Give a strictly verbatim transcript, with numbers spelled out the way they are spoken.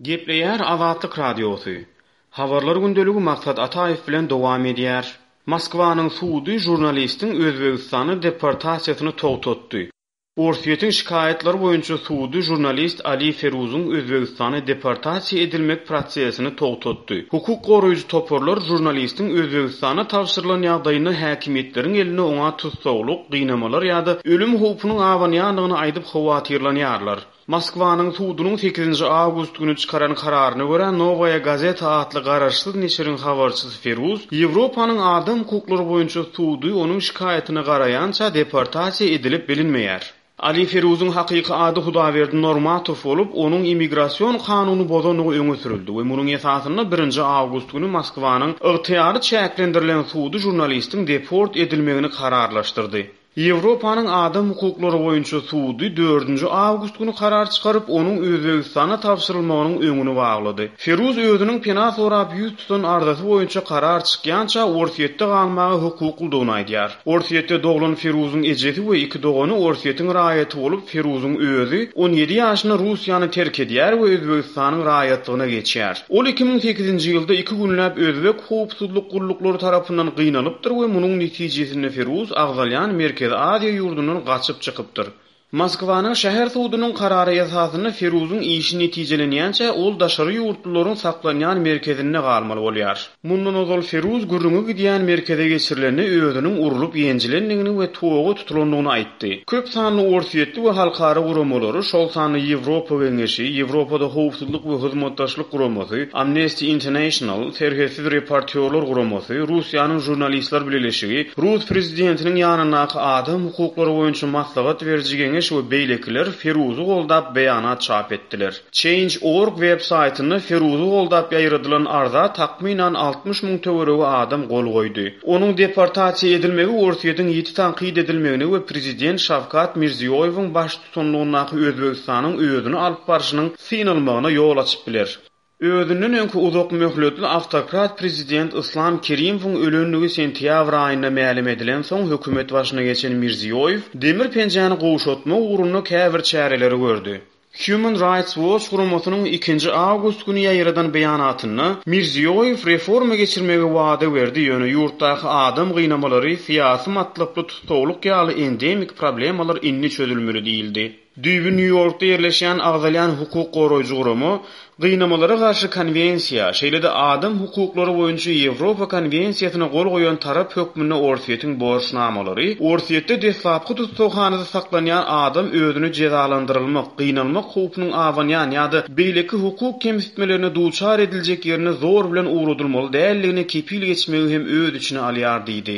Gepleýär Azatlyk Radiosy. Habarlar gündeligi Maksat Ataýew bilen dowam edýär. Moskwanyň sudy žurnalistiň Özbegistana deportasiýasyny togtatdy. Orsýetiň şikaýatlar boýunça sudy žurnalist Ali Feruzyň Özbegistana deportasiýa edilmek prosesini togtatdy. Hukuk goraýjy toparlar žurnalistiň Özbegistana tabşyrylan ýagdaýynda häkimiýetleriň elinde oňa tussaglyk, gynamalar ýa-da ölüm howpunyň abanýandygyny aýdyp howatyrlanýarlar. Moskwanyň sudunyň sekizinji awgust güni çykaran kararyna görä Nowaýa Gazeta atly garaşsyz neşiriň habarçysy Feruz Ýewropanyň adam hukuklary boýunça sudy onuň şikaýatyna garaýança deportasiýa edilip bilinmeýär. Ali Feruzyň hakyky ady Hudawerdi Normatow bolup, onuň immigrasion kanuny bozandygy öňe sürüldi we munuň esasynda birinji awgust güni Moskwanyň ygtyýary çäklendirilen sudy žurnalistiň deport edilmegini kararlaşdyrdy. Ýewropanyň adam hukuklary boýunça sudy dördünji awgust güni karar çykaryp, onuň Özbegistana tabşyrylmagynyň öňüni baglady. Feruz özüniň pena sorap ýüz tutan arzasy boýunça karar çykýança Orsýetde galmaga hukuklydygyny aýdýar. Orsýetde doglan Feruzyň ejesi we iki dogany Orsýetiň raýaty bolup, Feruzyň özi on ýedi ýaşynda Russiýany terk edýär we Özbegistanyň raýatlygyna geçýär. Ol iki müň sekizinji ýylda iki günläp özbek howpsuzlyk gulluklary tarapyndan gynalypdyr we munuň netijesinde Feruz agzalýan Merkezi Aziýa ýurdundan gaçyp çykypdyr. Moskwanyň şäher sudunyň karary esasynda Feruzyň işi netijelenýänçä ol daşary ýurtlularyň saklanýan merkezinde galmaly bolýar. Mundan ozal Feruz gürrüňi gidýän merkeze geçirilende özüniň urlup ýenjilendigini we toga tutulandygyny aýtdy. Köp sanly Orsýetli we halkara guramalary, şol sanly Ýewropa Geňeşi, Ýewropada howpsuzlyk we hyzmatdaşlyk guramasy, Amnesty International, Serhetsiz reportýorlar guramasy, Russiýanyň žurnalistler bileleşigi, Rus prezidentiniň ýanyndaky adam hukuklary boýunça maslahat beriji geňeş we beýlekiler Feruzy goldap beýanat çap etdiler. Change.org web saýtynda Feruzy goldap ýaýradylan arza takmynan altmyş müň töweregi adam gol goýdy. Onuň deportasiýa edilmegi Orsýetiň ýiti tankyt edilmegine we prezident Şawkat Mirziýoýewiň baştutanlygyndaky Özbegistanyň özüni alyp barşynyň synalmagyna ýol açyp biler. Özünden öňki uzak möhletli awtokrat prezident Islam Kerimowyň ölendigi sentýabr aýynda mälim edilen soň hökümet başyna geçen Mirziýoýew demir penjäni gowşatmak ugrunda käbir çäreleri gördi. Human Rights Watch guramasynyň ikinji awgust güni ýaýradan beýanatynda Mirziýoýew reforma geçirmegi wada berdi, ýöne ýurtdaky adam gynamalary, syýasy matlaply tussaglyk ýaly endemik problemalar indi çözülmeli diýildi. Düýbi Nýu-Ýorkda ýerleşýän agzalýan hukuk goraýjy gurama gynamalara garşy konwensiýa, şeýle-de adam hukuklary boýunça Ýewropa konwensiýasyna gol goýan tarap hökmünde Orsýetiň borçnamalary, Orsýetde deslapky tussaghanada saklanýan adam özüni jezalandyrylmak, gynalmak howpunyň abanýan ýa-da beýleki hukuk kemsitmelerine duçar ediljek ýerine zor bilen ugradylmaly däldigine kepil geçmegi hem öz içine alýar diýdi.